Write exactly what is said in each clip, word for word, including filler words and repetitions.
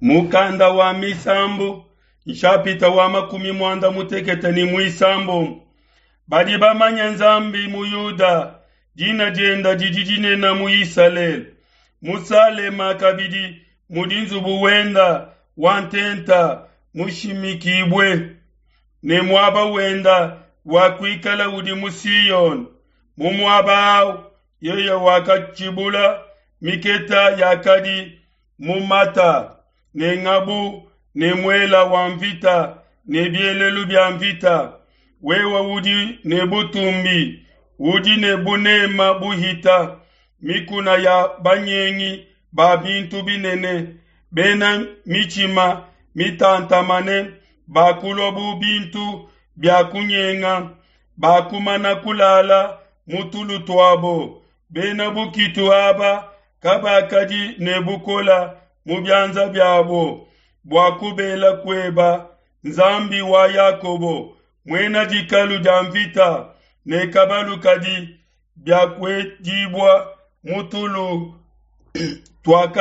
Mukanda wa Misambu, nshapita wa makumi muanda mutekete ne muisambombo. Badi bamanye Nzambi mu Yuda, dina dienda didi dinene mu Isalele. Mu Salema kabidi mudi nzubu wenda wa ntenta mushimikibue, ne muaba wenda wa kuikala udi mu Siyone. Mu muaba awu yeye wakatshibula miketa yakadi mu mata, ne ngabu ne muela wa mvita ne bielelu bia mvita. Wewe udi ne butumbi, udi ne bunema buhita mikuna ya banyengi ba bintu binene, bena mitshima mitantamane bakulua bu bintu bia kunyenga, bakumana kulala mu tulu tuabo. Bena bukitu aba kabakadi ne bukola mu bianza biabo bua kubela kueba Nzambi wa Yakobo, muena dikalu dia mvita ne kabalu kadi biakuedibua mu tulu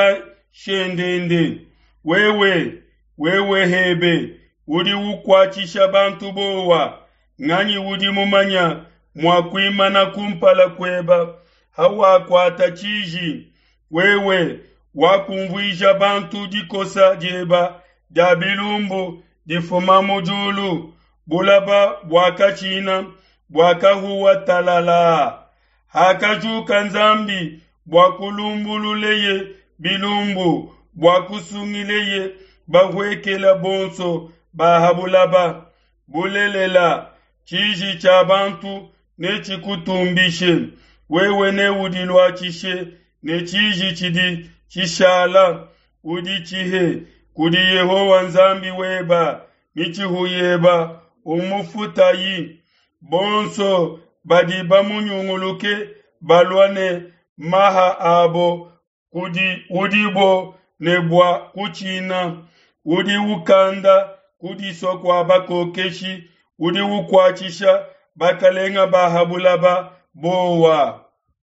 tuakashendende. Wewe, wewe hebe, udi ukuatshisha bantu bowa, nganyi udi mumanya mua kuimana kumpala kueba hawakuata tshiji? Wewe wakumvuija bantu dikosa dieba dia bilumbu difuma mu diulu, bulaba buakatshina buakahuwa talalaa. Hakajuka Nzambi bua kulumbululeye bilumbu, bua kusungileye bahuekela bonso ba ha bulaba. Bulelela, tshiji tshia bantu netshikutumbishe, wewe neudiluatshishe ne tshiji tshidi tshishala. Uditshihe kudi Yehowa Nzambi weba, mitshihu yeba umufutayi. Bonso badi bamunyunguluke balua ne maha abo kudi udibo ne bua kutshina. Udi ukanda kudisua kua bakokeshi, udi ukuatshisha bakalenga ba ha bulaba bowa.